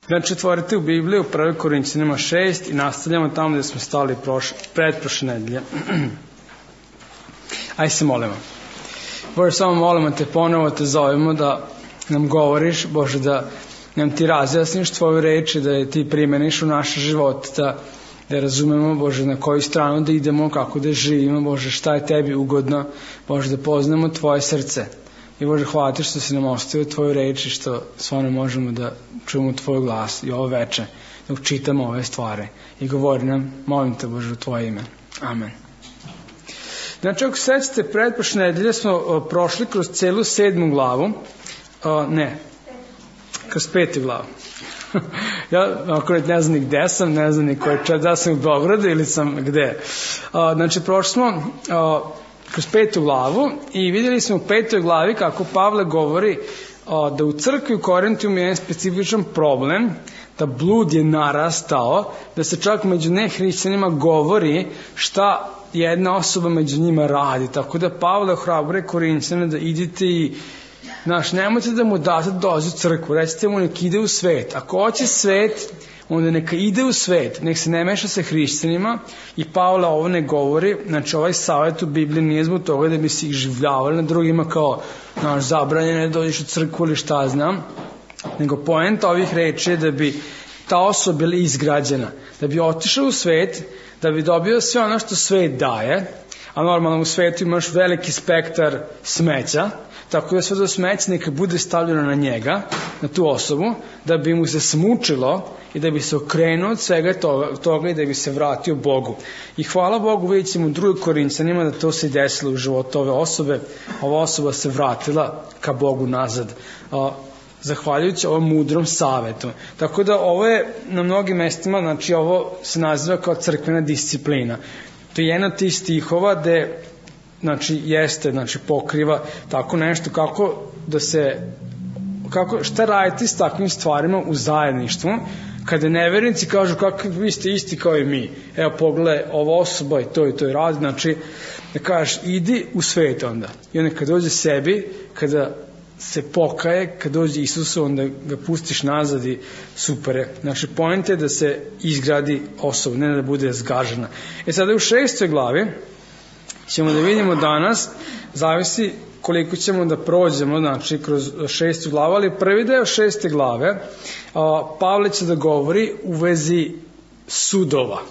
Znači, otvorite u Bibliju, 1. Korinćanima 6 i nastavljamo tamo gde smo stali pretprošle nedelje. Ajde se molimo. Bože, samo molimo te, ponovo te zovemo da nam govoriš, Bože, da nam ti razjasniš tvoju reč i da je ti primeniš u naše živote, da razumemo, Bože, na koju stranu da idemo, kako da živimo, Bože, šta je tebi ugodno, Bože, da poznamo tvoje srce. I Bože, hvala ti što si nam ostavio tvoju reč i što stvarno možemo da čujemo tvoj glas i ovo veče, da učitamo ove stvari. I govori nam, molim te, Bože, u tvoje ime. Amen. Znači, ako sećate, pretprošle nedelje smo prošli kroz celu 7. glavu, kroz 5. glavu. Ja ako ne znam ni gde sam, ne znam ni koje da sam u Beogradu ili sam gde. Znači, prošli smo kroz 5. glavu i vidjeli smo u 5. glavi kako Pavle govori da u crkvi u Korintu ima jedan specifičan problem, da blud je narastao, da se čak među nehrišćanima govori šta jedna osoba među njima radi. Tako da Pavle ohrabruje Korinćane da idite i nemojte da mu date dođe u crkvu, recite mu nek ide u svet. Ako hoće svet, onda neka ide u svet, nek se ne meša sa hrišćanima i Pavle ovo ne govori, znači ovaj savjet u Bibliji nije zbog toga da bi se ih življavali na drugima kao zabranjeno da dođeš u crkvu ili šta znam, nego poenta ovih reči je da bi ta osoba bila izgrađena, da bi otišao u svet, da bi dobio sve ono što svet daje, a normalno u svetu imaš veliki spektar smeća, tako da sve to smeće neka bude stavljeno na njega, na tu osobu, da bi mu se smučilo i da bi se okrenuo od svega toga i da bi se vratio Bogu. I hvala Bogu, vidjet ćemo u 2. Korinćanima da to se i desilo u životu ove osobe. Ova osoba se vratila ka Bogu nazad, zahvaljujući ovom mudrom savetu. Tako da ovo je na mnogim mestima, znači ovo se naziva kao crkvena disciplina. To je jedna od tih stihova gde pokriva tako nešto šta raditi s takvim stvarima u zajedništvu, kada nevernici kažu kako vi ste isti kao i mi, evo pogledaj ova osoba i to radi, znači da kažeš idi u svet onda i onda kada dođe sebi, kada se pokaje, kad dođe Isusu, onda ga pustiš nazad i super je. Znači, point je da se izgradi osoba, ne da bude zgažena. Sada u 6. glavi ćemo da vidimo danas, zavisi koliko ćemo da prođemo, znači, kroz 6. glavu, ali prvi deo 6. glave, Pavle će da govori u vezi sudova.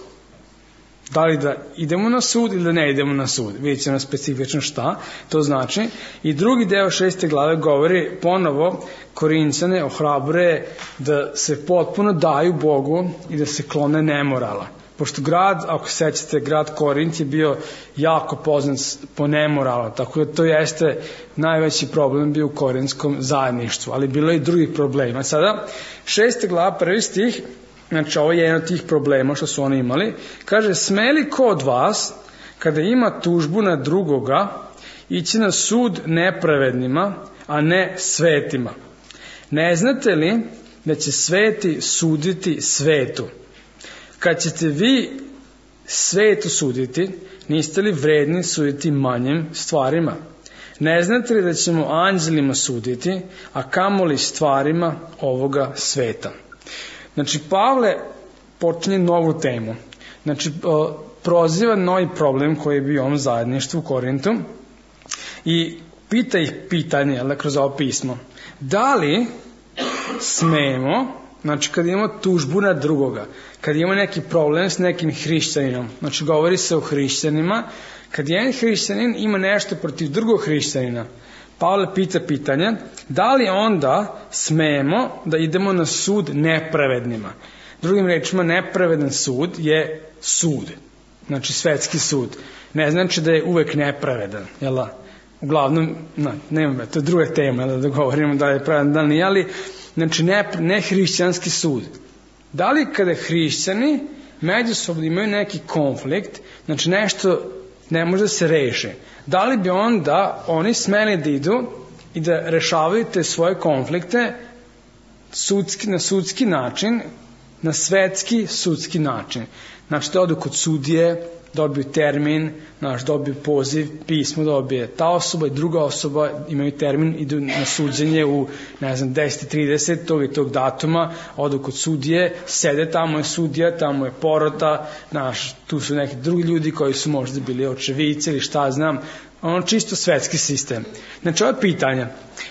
Da li da idemo na sud ili da ne idemo na sud. Vidjet ćemo specifično šta to znači. I drugi deo 6. glave govori ponovo Korinćane ohrabruje da se potpuno daju Bogu i da se klone nemorala. Pošto grad, ako sećate, grad Korint je bio jako poznat po nemoralu, tako da to jeste najveći problem bio u korintskom zajedništvu, ali bilo je i drugih problema. Sada, 6. glava, 1. stih, znači ovo je jedan od tih problema što su oni imali, kaže, sme li ko od vas, kada ima tužbu na drugoga, ići na sud nepravednima, a ne svetima? Ne znate li da će sveti suditi svetu? Kad ćete vi svetu suditi, niste li vredni suditi manjim stvarima? Ne znate li da ćemo anđelima suditi, a kamoli stvarima ovoga sveta? Znači, Pavle počinje novu temu. Znači, proziva novi problem koji je bio u ovom zajedništvu u Korintu i pita ih pitanje, kroz ovo pismo. Da li smemo, znači, kad imamo tužbu na drugoga, kad imamo neki problem s nekim hrišćaninom, znači, govori se o hrišćanima, kad jedan hrišćanin ima nešto protiv drugog hrišćanina, Pavle pita pitanje, da li onda smemo da idemo na sud nepravednima? Drugim rečima, nepravedan sud je sud, znači svetski sud. Ne znači da je uvek nepravedan, jel da? Uglavnom, nema, to je druga tema, da govorimo da je pravedan, da li nije, ali znači ne hrišćanski sud. Da li kada hrišćani međusobno imaju neki konflikt, znači nešto ne može da se reši, da li bi onda oni smeli da idu i da rešavaju te svoje konflikte na sudski način na svetski, sudski način. Znači, da odu kod sudije, dobiju termin, dobiju poziv, pismo dobije ta osoba i druga osoba, imaju termin, idu na suđenje u, 10:30 tog i tog datuma, odu kod sudije, sede, tamo je sudija, tamo je porota, tu su neki drugi ljudi koji su možda bili očevici ili šta znam, čisto svetski sistem. Znači, ovo je pitanja.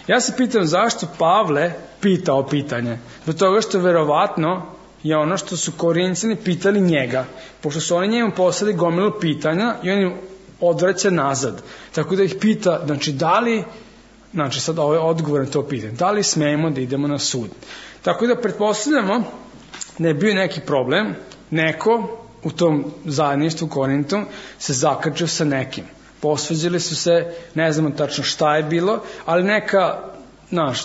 Ja se pitam zašto Pavle pitao pitanje. Zbog toga što verovatno je ono što su Korinćani pitali njega, pošto su oni njemu poslali gomilu pitanja i on im odvraća nazad. Tako da ih pita, sad ovo je odgovor na to pitanje, da li smemo da idemo na sud. Tako da pretpostavljamo da je bio neki problem, neko u tom zajedništvu Korintu se zakačio sa nekim. Posvađali su se, ne znamo tačno šta je bilo, ali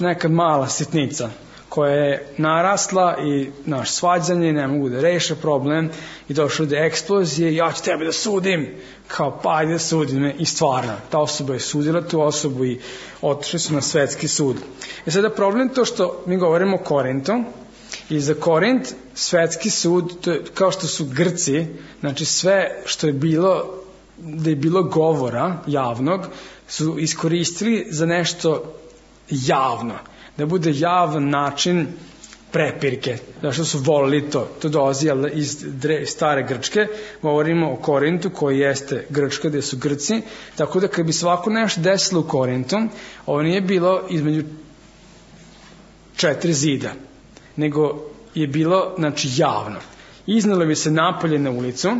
neka mala sitnica koja je narasla i svađanje, ne mogu da reše problem i došlo do eksplozije, ja ću tebe da sudim, kao pa ajde da sudi me, i stvarno, ta osoba je sudila tu osobu i otišli su na svetski sud. Sada problem to što mi govorimo o Korintu i za Korint svetski sud, to je kao što su Grci, znači sve što je bilo, da je bilo govora javnog, su iskoristili za nešto javno, da bude javan način prepirke, zašto su volili to. To dolazi iz stare Grčke, govorimo o Korintu koji jeste Grčka, gde su Grci, tako da kad bi svako nešto desilo u Korintu, ovo nije bilo između 4 zida, nego je bilo, javno. Iznalo bi se napolje na ulicu,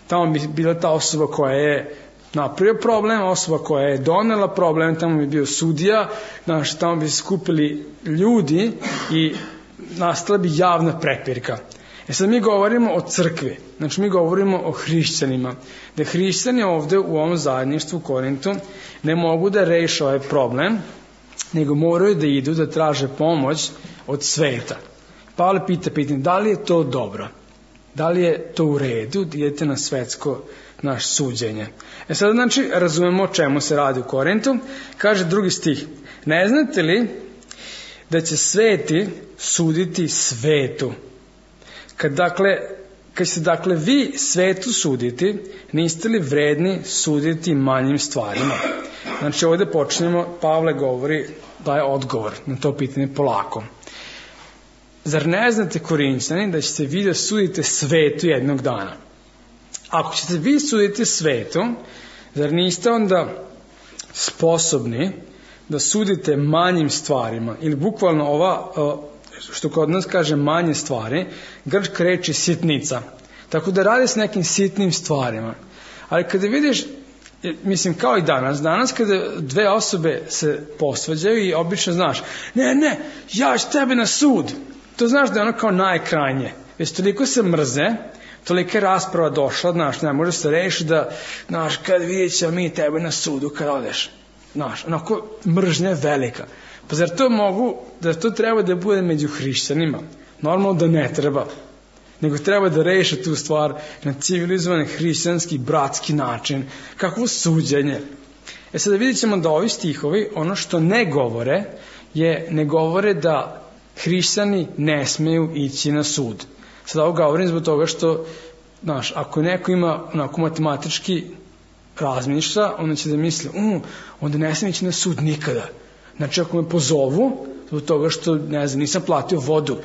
tamo bi bila ta osoba koja je napravio problem, osoba koja je donela problem, tamo bi bio sudija, tamo bi se skupili ljudi i nastala bi javna prepirka. Sad mi govorimo o crkvi, znači mi govorimo o hrišćanima, da hrišćani ovde u ovom zajedništvu u Korintu ne mogu da reše ovaj problem, nego moraju da idu da traže pomoć od sveta. Pavle pita pitanje, da li je to dobro? Da li je to u redu da idete na svetsko suđenje? Sada razumemo o čemu se radi u Korintu. Kaže 2. stih, ne znate li da će sveti suditi svetu? Kad se vi svetu suditi, niste li vredni suditi manjim stvarima? Znači ovde počnemo, Pavle govori, daje odgovor na to pitanje polako. Zar ne znate, Korinćani, da ćete vi da sudite svetu jednog dana? Ako ćete vi suditi svetu, zar niste onda sposobni da sudite manjim stvarima? Ili bukvalno ova, što kod nas kaže manje stvari, grčka reč je sitnica. Tako da radi s nekim sitnim stvarima. Ali kada vidiš, mislim kao i danas kada dve osobe se posvađaju i obično znaš, ne, ja ću tebe na sud. To znaš da je ono kao najkrajnje. Već toliko se mrze, tolika je rasprava došla, ne može se reši da, kad vidjet ćemo mi tebe na sudu kad odeš. Onako mržnja je velika. Pa zar to treba da bude među hrišćanima? Normalno da ne treba. Nego treba da reše tu stvar na civilizovan, hrišćanski, bratski način. Kakvo suđenje? Sada vidjet ćemo da ovi stihovi, ono što ne govore da hrišćani ne smeju ići na sud. Sada ovo govorim zbog toga što, ako neko ima onako matematički razmišlja, onda će da misli, onda ne smijem ići na sud nikada. Znači, ako me pozovu, zbog toga što, nisam platio vodu,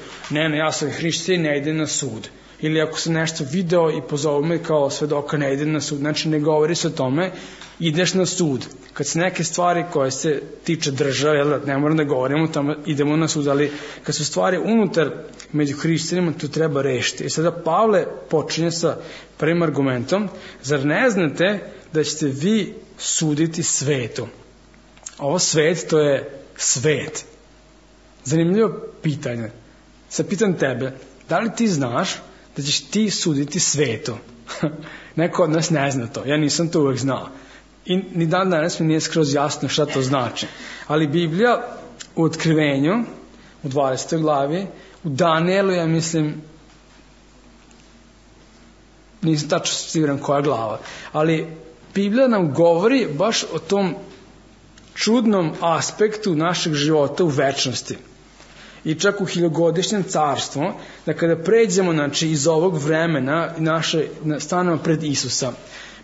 ja sam hrišćanin, ne idem na sud. Ili ako sam nešto video i pozovu me kao svedoka, ne idem na sud. Znači, ne govori se o tome, ideš na sud. Kad se neke stvari koje se tiče države, ne moram da govorimo o tome, idemo na sud, ali kad su stvari unutar među hrišćanima, to treba rešiti. I sada Pavle počinje sa prvim argumentom, zar ne znate da ćete vi suditi svetu? Ovo svet, to je svet. Zanimljivo pitanje. Sad pitam tebe, da li ti znaš da ćeš ti suditi svetu? Neko od nas ne zna to, ja nisam to uvek znao. I ni dan danas mi nije skroz jasno šta to znači. Ali Biblija u Otkrivenju, u 20. glavi, u Danielu, ja mislim, nisam tačno siguran koja glava, ali Biblija nam govori baš o tom čudnom aspektu našeg života u večnosti. i čak u hiljogodišnjem carstvu, da kada pređemo znači, iz ovog vremena stanemo pred Isusa,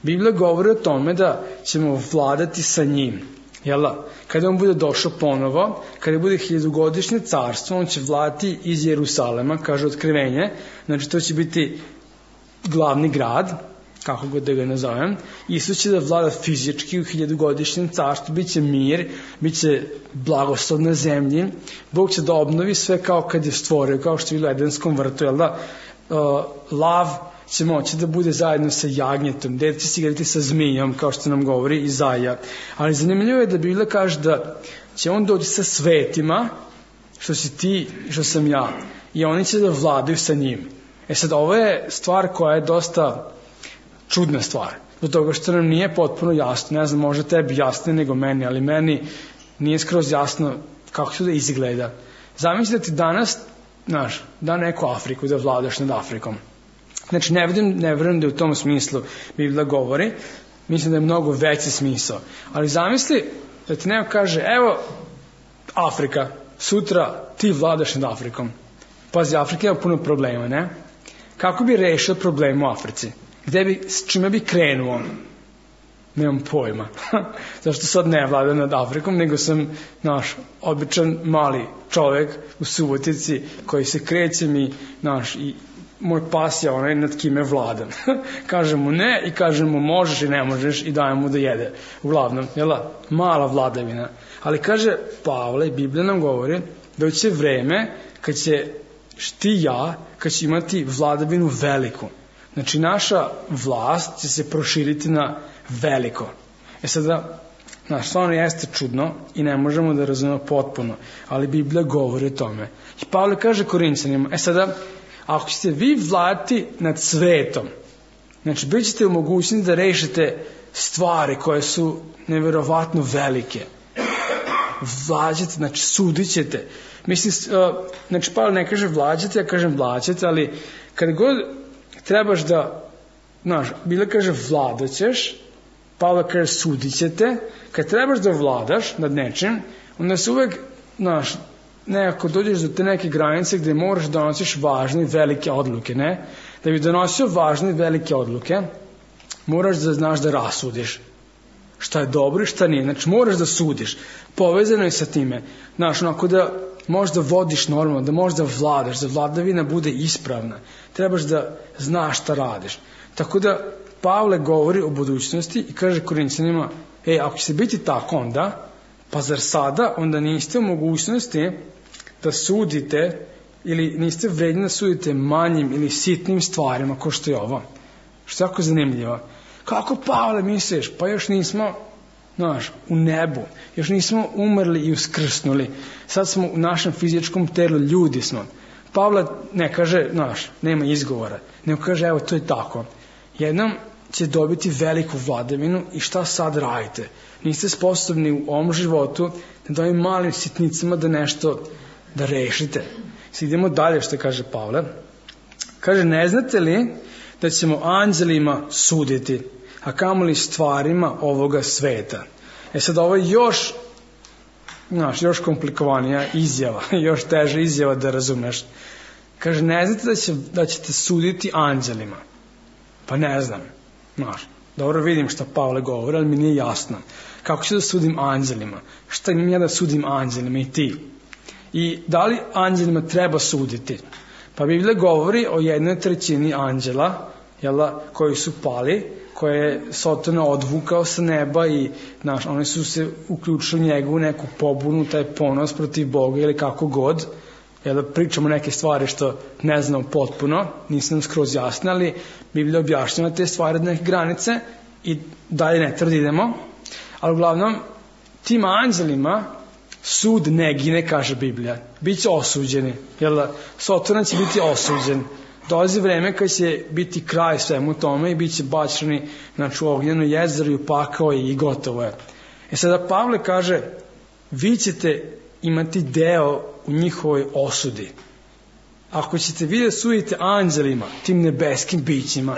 Biblija govori o tome da ćemo vladati sa njim. Jel da? Kada on bude došao ponovo, kada bude hiljogodišnje carstvo, on će vladati iz Jerusalema, kaže Otkrivenje, znači to će biti glavni grad, kako god da ga nazovem. Isus će da vlada fizički u hiljogodišnjem carstvu, bit će mir, bit će blagoslov na zemlji, Bog će da obnovi sve kao kad je stvorio, kao što je bilo u Edenskom vrtu, jel da? Lav će moći da bude zajedno sa jagnjetom, dete će se igrati sa zmijom, kao što nam govori Izaija. Ali zanimljivo je da Biblija kaže da će on doći sa svetima, što si ti, što sam ja, i oni će da vladaju sa njim. Sad, ovo je stvar koja je dosta čudna stvar, do toga što nam nije potpuno jasno, ne znam, možda tebi jasnije nego meni, ali meni nije skroz jasno kako to da izgleda. Zamisli da ti danas, da neku Afriku, da vladaš nad Afrikom. Znači, ne verujem da je u tom smislu Biblija govori, mislim da je mnogo veći smisao. Ali zamisli da ti neko kaže, evo, Afrika, sutra ti vladaš nad Afrikom. Pazi, Afrika ima puno problema, ne? Kako bi rešio problem u Africi? S čime bi krenuo? Nemam pojma. Zašto sad ne vladam nad Afrikom, nego sam običan mali čovek u Subotici koji se krećem i moj pas je onaj nad kime vladam. Kažem mu ne i kažem mu možeš i ne možeš i dajem mu da jede. Uglavnom, mala vladavina. Ali kaže Pavle, Biblija nam govori da će vreme kad će kad će imati vladavinu veliku. Znači naša vlast će se proširiti na veliko. Sada, stvarno jeste čudno i ne možemo da razumemo potpuno, ali Biblija govori o tome. I Pavle kaže Korinćanima, sada, ako ćete vi vladati nad svetom, znači bit ćete u mogućnosti da rešite stvari koje su neverovatno velike. Vlađate, znači sudit ćete. Mislim, znači Pavle ne kaže vlađate, ja kažem vlađate, ali kada god trebaš da, Biblija kaže vladat ćeš, Pavle kaže sudit ćete, kad trebaš da vladaš nad nečim, onda se uvek, nekako dođeš do te neke granice gde moraš da donosiš važne i velike odluke, ne? Da bi donosio važne i velike odluke, moraš da znaš da rasudiš šta je dobro i šta nije. Znači, moraš da sudiš. Povezano je sa time. Onako da možeš da vodiš normalno, da možeš da vladaš, da vladavina bude ispravna. Trebaš da znaš šta radiš. Tako da, Pavle govori o budućnosti i kaže Korinćanima, ako će biti tako onda, pa zar sada onda niste u mogućnosti da sudite ili niste vredni da sudite manjim ili sitnim stvarima kao što je ovo. Što je jako zanimljivo. Kako, Pavle, misliš? Pa još nismo, u nebu. Još nismo umrli i uskrsnuli. Sad smo u našem fizičkom telu, ljudi smo. Pavle ne kaže, nema izgovora. Nego kaže, evo, to je tako. Jednom će dobiti veliku vladavinu i šta sad radite? Niste sposobni u ovom životu da ovim malim sitnicama da nešto da rešite. Idemo dalje što kaže Pavle. Kaže, ne znate li da ćemo anđelima suditi, a kamoli stvarima ovoga sveta? Sad ovo je još komplikovanija izjava, još teža izjava da razumeš. Kaže, ne znate da ćete suditi anđelima? Pa ne znam. Dobro vidim šta Pavle govori, ali mi nije jasno. Kako ću da sudim anđelima? Šta imam ja da sudim anđelima i ti? I da li anđelima treba suditi? Pa Biblija govori o 1/3 anđela, koji su pali, koje je Sotona odvukao sa neba i oni su se uključili njegovu neku pobunu, taj ponos protiv Boga ili kako god. Pričamo neke stvari što ne znamo potpuno, nisu nam skroz jasne, ali Biblija objašnjava te stvari od neke granice i dalje ne idemo. Ali uglavnom, tim anđelima sud ne gine, kaže Biblija. Biće osuđeni. Sotona će biti osuđen. Dolazi vreme kad će biti kraj svemu tome i bit će bačeni u ognjeno jezero i u pakao i gotovo je. Sada Pavle kaže, vi ćete imati deo u njihovoj osudi. Ako ćete vi da sudite anđelima, tim nebeskim bićima,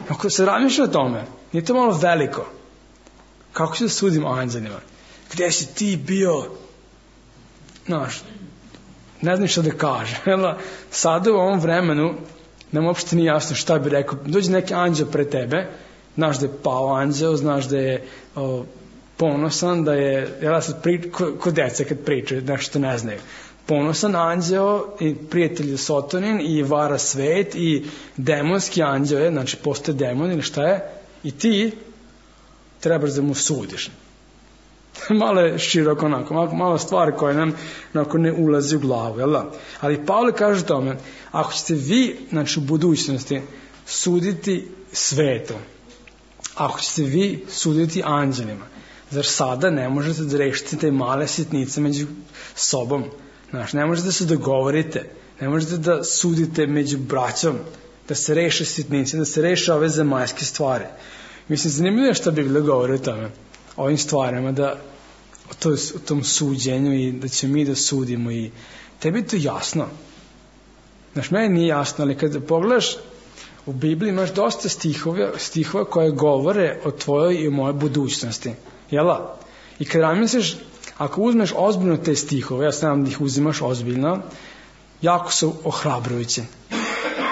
ako se razmišlja o tome, nije to malo veliko. Kako ću da sudim anđelima? Gde si ti bio? ne znam šta da kaže. Sada u ovom vremenu nam uopšte nije jasno šta bi rekao. Dođe neki anđeo pred tebe, znaš da je pao anđeo, znaš da je ponosan, da je, ko deca kad pričaju, nešto ne znaju. Ponosan anđeo i prijatelj je Sotonin i vara svet i demonski anđeo je, znači postoje demon ili šta je, i ti trebaš da mu sudiš. Malo je široko onako, malo stvari koje nam onako ne ulazi u glavu, jel da? Ali Pavle kaže tome, ako ćete vi, znači u budućnosti, suditi svetom, ako ćete vi suditi anđelima, zar sada ne možete da rešite te male sitnice među sobom? Znači, ne možete da se dogovorite, ne možete da sudite među braćom, da se reše sitnice, da se reše ove zemaljske stvari. Mislim, zanimljivo je šta Biblija govori o tome, o ovim stvarima, da o tom suđenju i da ćemo mi da sudimo i tebi je to jasno. Znaš, meni nije jasno, ali kada pogledaš u Bibliji imaš dosta stihova koje govore o tvojoj i o mojoj budućnosti. Jela? I kada razmisliš, ako uzmeš ozbiljno te stihove, ja znam da ih uzimaš ozbiljno, jako su ohrabrujući.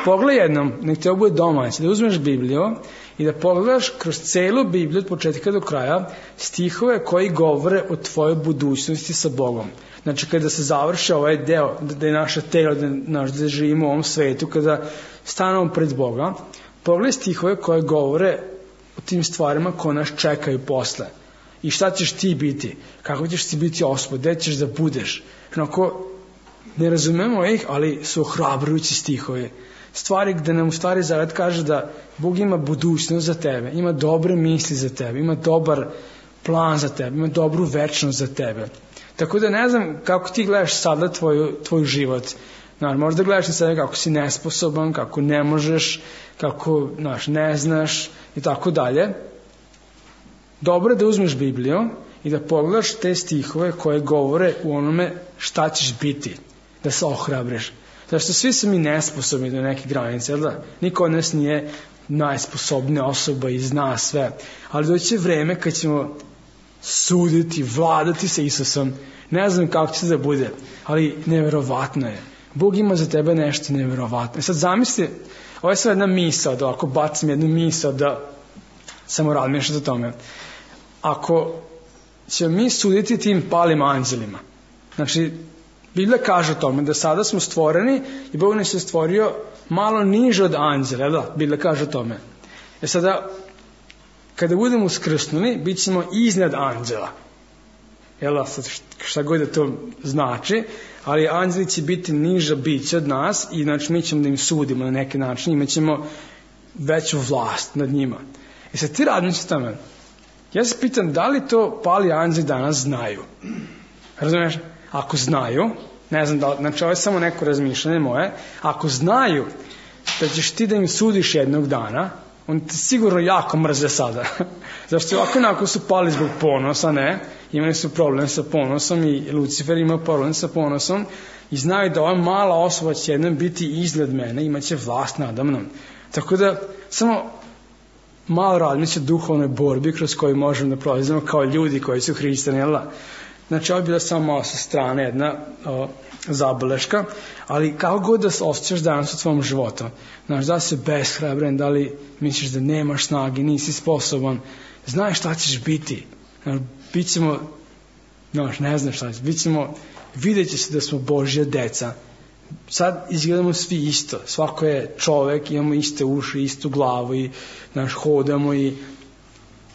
Pogledaj jednom, nek te ovo bude domaće, da uzmeš Bibliju i da pogledaš kroz celu Bibliju od početka do kraja stihove koji govore o tvojoj budućnosti sa Bogom. Znači, kada se završi ovaj deo, da je naše telo, da živimo u ovom svetu, kada stanemo pred Boga, pogledaj stihove koje govore o tim stvarima koje nas čekaju posle. I šta ćeš ti biti? Kako ćeš ti biti Gospod? Gde ćeš da budeš? Onako, ne razumemo ih, ali su ohrabrujući stihovi. Stvari gde nam u stvari Zavet kaže da Bog ima budućnost za tebe, ima dobre misli za tebe, ima dobar plan za tebe, ima dobru večnost za tebe. Tako da ne znam kako ti gledaš sada tvoj život. Možda gledaš na sebe kako si nesposoban, kako ne možeš, kako ne znaš i tako dalje. Dobro je da uzmeš Bibliju i da pogledaš te stihove koje govore u onome šta ćeš biti, da se ohrabriš. Zašto svi su mi nesposobni do neke granice, jel da? Niko od nas nije najsposobnija osoba i zna sve. Ali doći je vreme kad ćemo suditi, vladati sa Isusom. Ne znam kako će se da bude, ali neverovatno je. Bog ima za tebe nešto neverovatno. Sad zamisli, ovo je sad jedna misao, da ako bacim jednu misao, da samo razmišljati o tome. Ako ćemo mi suditi tim palim anđelima, znači, Biblija kaže o tome da sada smo stvoreni i Bog nas je stvorio malo niže od anđela, da? Biblija kaže o tome. Sada, kada budemo uskrsnuli, bit ćemo iznad anđela. Jel, sad šta god da to znači, ali anđeli će biti niža bića od nas i znači mi ćemo da im sudimo na neki način, imat ćemo veću vlast nad njima. Sad ti razmišljaš o tome. Ja se pitam da li to pali anđeli danas znaju. Razumiješ? Ako znaju, ne znam da, znači ovo je samo neko razmišljanje moje, ako znaju da ćeš ti da im sudiš jednog dana, oni te sigurno jako mrze sada. Zašto ovako onako su pali zbog ponosa, ne? Imali su problem sa ponosom i Lucifer ima problem sa ponosom i znaju da ova mala osoba će jednom biti iznad mene, imaće vlast nada mnom. Tako da, samo malo razmišljati o duhovnoj borbi kroz koju možemo da prolazimo kao ljudi koji su hrišćani, jel da? Znači, ovo je bila samo malo sa strane jedna zabeleška, ali kako god da se osjećaš danas u tvom životu, znaš, da li si beshrabren, da li misliš da nemaš snage, nisi sposoban, znaš šta ćeš biti. Znaš, bit ćemo, znaš, ne znam šta ćeš, bit ćemo, vidjet će se da smo Božja deca. Sad izgledamo svi isto, svako je čovek, imamo iste uši, istu glavu i, znaš, hodamo i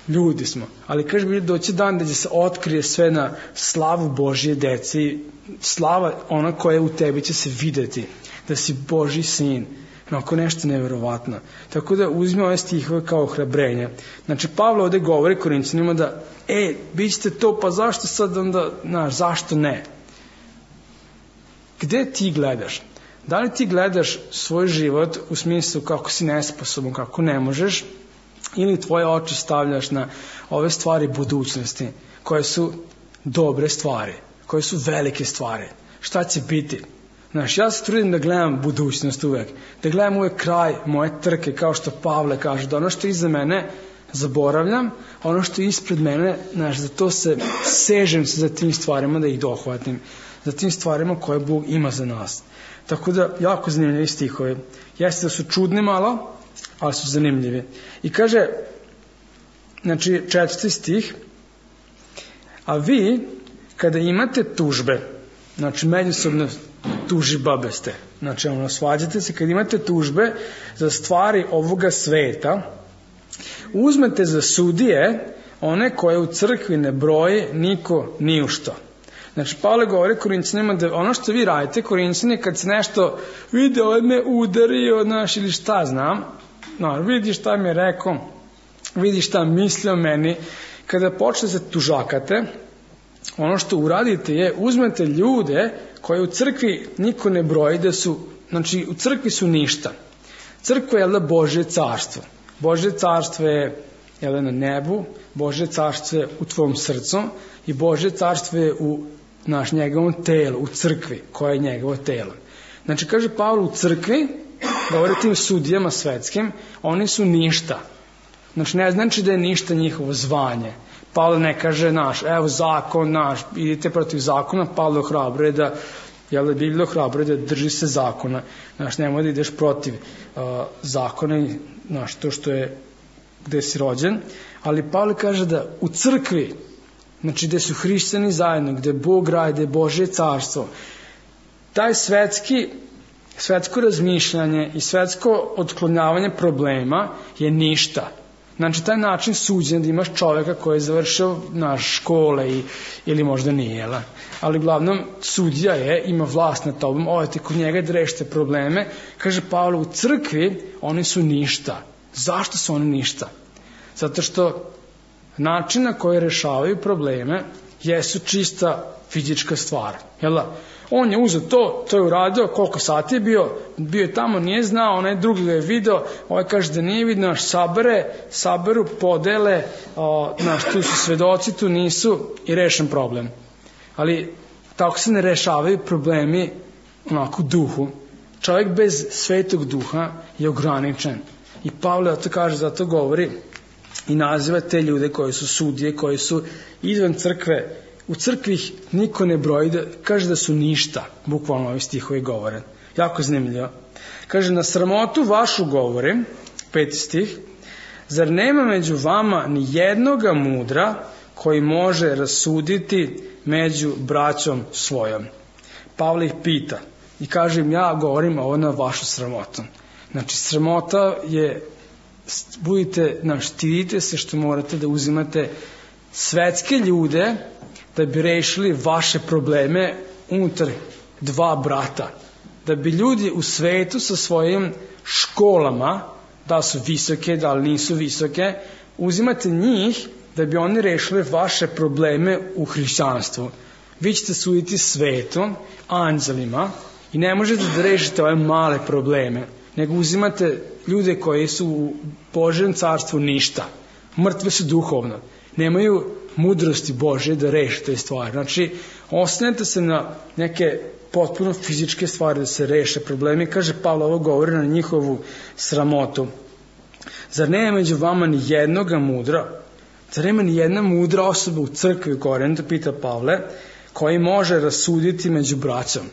ljudi smo, ali kaže bi doći dan da će se otkrije sve na slavu Božje dece i slava ona koja je u tebi će se videti, da si Božji sin, onako nešto neverovatno. Tako da uzmi ove stihove kao ohrabrenje. Znači Pavle ovde govori Korinćanima da bit ćete to, pa zašto sad onda, zašto ne? Gde ti gledaš? Da li ti gledaš svoj život u smislu kako si nesposoban, kako ne možeš, ili tvoje oči stavljaš na ove stvari budućnosti, koje su dobre stvari, koje su velike stvari. Šta će biti? Znaš, ja se trudim da gledam budućnost uvek, da gledam uvek kraj moje trke, kao što Pavle kaže, da ono što je iza mene zaboravljam, ono što je ispred mene, znaš, za to se sežem se za tim stvarima da ih dohvatim. za tim stvarima koje Bog ima za nas. Tako da, jako zanimljivi stihovi. Jeste da su čudni malo, ali su zanimljivi. I kaže, znači, 4. stih, a vi, kada imate tužbe, znači, međusobno tužibabe ste, znači, svađate se, kada imate tužbe za stvari ovoga sveta, uzmete za sudije one koje u crkvi ne broji niko ni u što. Znači, Pavle govori Korinćanima da ono što vi radite, Korinćani, kad se nešto vidi, me udario, ili šta znam, vidi šta mi je rekao, vidi šta misli o meni, kada počne se tužakate, ono što uradite je, uzmete ljude koje u crkvi niko ne broji, da su, znači, u crkvi su ništa. Crkva je Božje carstvo. Božje carstvo je na nebu, Božje carstvo je u tvom srcu i Božje carstvo je u njegovom telu, u crkvi, koja je njegovo telo. Znači, kaže Pavle, u crkvi, govori tim sudijama svetskim, oni su ništa. Znači, ne znači da je ništa njihovo zvanje. Pavle ne kaže evo zakon idite protiv zakona, Pavle ohrabruje da, Biblija ohrabruje da drži se zakona. Znači, nemoj da ideš protiv zakona, to što je, gde si rođen, ali Pavle kaže da u crkvi, znači gde su hrišćani zajedno, gde Bog radi, gde je Božje carstvo, taj svetsko razmišljanje i svetsko otklonjavanje problema je ništa. Znači, taj način suđenja da imaš čoveka koji je završio škole ili možda nije, ali uglavnom sudija ima vlast nad tobom, odete kod njega da rešite probleme. Kaže Pavle, u crkvi oni su ništa. Zašto su oni ništa? Zato što način na koji rešavaju probleme jesu čista fizička stvar. On je uzeo to je uradio, koliko sati je bio je tamo, nije znao, onaj drugi ga je video, ovaj kaže da nije vidio, saberu, podele, tu su svedoci, tu nisu i rešen problem. Ali tako se ne rešavaju problemi onako u duhu. Čovjek bez svetog duha je ograničen. I Pavle zato govori i naziva te ljude koji su sudije, koji su izvan crkve. U crkvi ih niko ne broji, kaže da su ništa, bukvalno ovi stihovi govore. Jako zanimljivo. Kaže, na sramotu vašu govorim, 5. stih, zar nema među vama ni jednoga mudra koji može rasuditi među braćom svojom? Pavle ih pita i kaže im, ja govorim ovo na vašu sramotu. Znači, sramota je, stidite se što morate da uzimate svetske ljude da bi rešili vaše probleme unutar dva brata. Da bi ljudi u svetu sa svojim školama, da su visoke, da li nisu visoke, uzimate njih da bi oni rešili vaše probleme u hrišćanstvu. Vi ćete suditi svetom, anđelima i ne možete da rešite ove male probleme, nego uzimate ljude koji su u Božjem carstvu ništa. Mrtve su duhovno. Nemaju mudrosti Božje da reše te stvari. Znači, oslanjate se na neke potpuno fizičke stvari da se reše problemi. Kaže Pavle, ovo govori na njihovu sramotu. Zar nema među vama ni jednoga mudra? Zar nema ni jedna mudra osoba u crkvi u Korintu, pita Pavle, koji može rasuditi među braćom?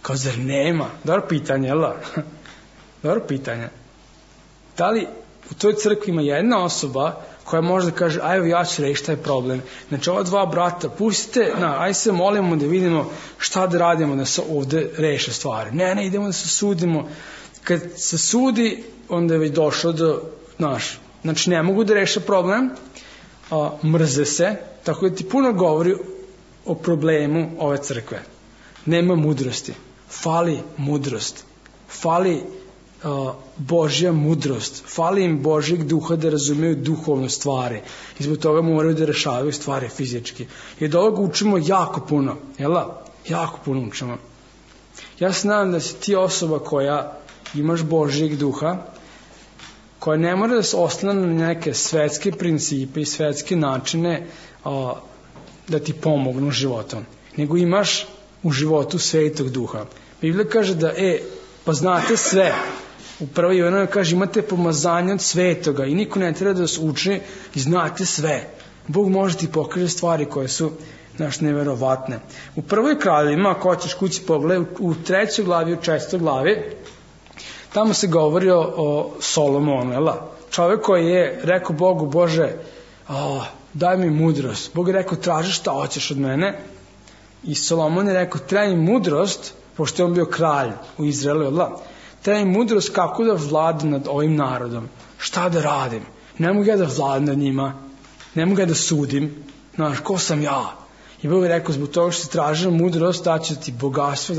Kao, zar nema? Dobro pitanje, Dobro pitanje. Da li u toj crkvi ima jedna osoba koja može da kaže, ajde ja ću rešiti taj problem. Znači, ova dva brata, pustite, ajde se molimo da vidimo šta da radimo da se ovde reše stvari. Ne, idemo da se sudimo. Kad se sudi, onda je već došlo do, znači ne mogu da reše problem, mrze se, tako da ti puno govori o problemu ove crkve. Nema mudrosti. Fali mudrost. Fali Božja mudrost. Fali im Božjeg duha da razumiju duhovne stvari. I zbog toga moraju da rešavaju stvari fizički. I od ovoga učimo jako puno. Jako puno učimo. Ja se nadam da si ti osoba koja imaš Božjeg duha, koja ne mora da se oslanja na neke svetske principe i svetske načine da ti pomognu životom. Nego imaš u životu svetog duha. Biblija kaže da, pa znate sve. U 1. Jovanova kaže, imate pomazanje od svetoga i niko ne treba da vas uči i znate sve. Bog može ti pokaže stvari koje su neverovatne. U prvoj Kraljevima, ako hoćeš kući pogledaj, u 3. glavi, u 4. glavi, tamo se govori o Solomonu, čovek koji je rekao Bogu, Bože, daj mi mudrost. Bog je rekao, traži šta hoćeš od mene. I Solomon je rekao, treba mi mudrost, pošto je on bio kralj u Izraelu, treba mi mudrost kako da vladam nad ovim narodom. Šta da radim? Ne mogu ja da vladam nad njima, ne mogu ja da sudim, ko sam ja? I Bog je rekao, zbog toga što si tražio mudrost, daće ti bogatstvo,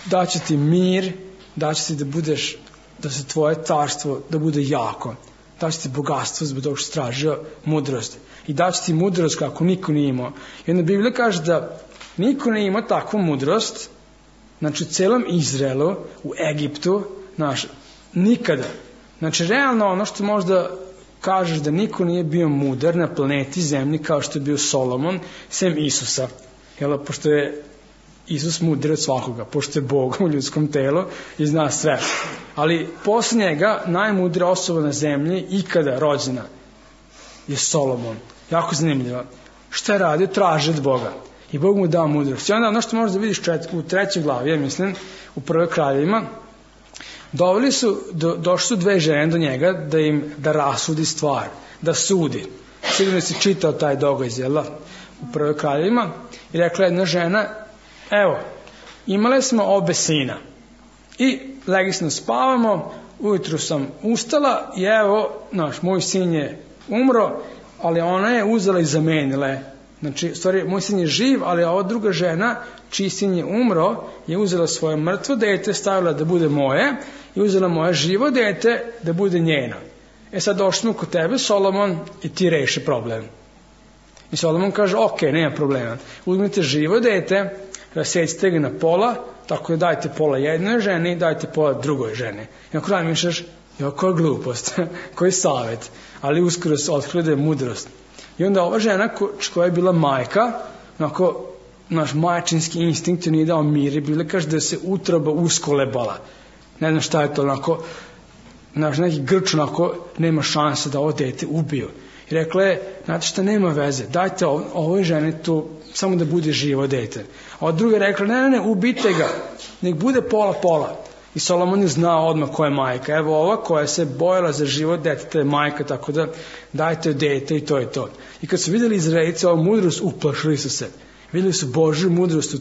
daće ti mir, daće ti da budeš, da se tvoje carstvo, da bude jako. Daće ti bogatstvo zbog toga što si tražio mudrost. I daće ti mudrost kako niko nije imao. I onda Biblija kaže da niko nije imao takvu mudrost, znači u celom Izraelu, u Egiptu, nikada. Znači, realno ono što možda kažeš da niko nije bio mudar na planeti Zemlji kao što je bio Solomon, sem Isusa. Pošto je Isus mudar od svakoga, pošto je Bog u ljudskom telu i zna sve. Ali posle njega najmudrija osoba na zemlji ikada rođena je Solomon. Jako zanimljivo. Šta je radio? Traži od Boga. I Bog mu dao mudrost. I onda ono što možda vidiš u 3. glavi, ja mislim, u prvoj Kraljevima, došli su 2 žene do njega da rasudi stvar, da sudi. Sigurno si čitao taj događaj, u prvoj Kraljevima, i rekla jedna žena, evo, imale smo obe sina i legli smo spavamo, ujutru sam ustala i evo, moj sin je umro, ali ona je uzela i zamenila. Znači, moj sin je živ, ali ova druga žena, čiji sin je umro, je uzela svoje mrtvo dete, stavila da bude moje i uzela moje živo dete da bude njeno. Sad došli smo kod tebe, Solomon, i ti reši problem. I Solomon kaže, ok, nema problema. Uzmite živo dete, rasecite ga na pola, tako da dajte pola jednoj ženi, dajte pola drugoj ženi. I ako razmišljaš, koja glupost, koji savjet, ali uskoro se otkrilo da je mudrost. I onda ova žena koja je bila majka, naš majčinski instinkt nije dao mir i bila kaže da se utroba uskolebala. Ne znam šta je to, neki grč nema šanse da ovo dete ubiju. I rekla je, znate šta, nema veze, dajte ovoj ženi tu samo da bude živo dete. A od druga je rekla, ne, ubite ga, nek bude pola. I Solomon je znao odmah koja je majka. Evo ova koja se bojala za život deteta je majka, tako da dajte dete i to je to. I kad su vidjeli Izraelci ovu mudrost, uplašili su se. Vidjeli su Božju mudrost u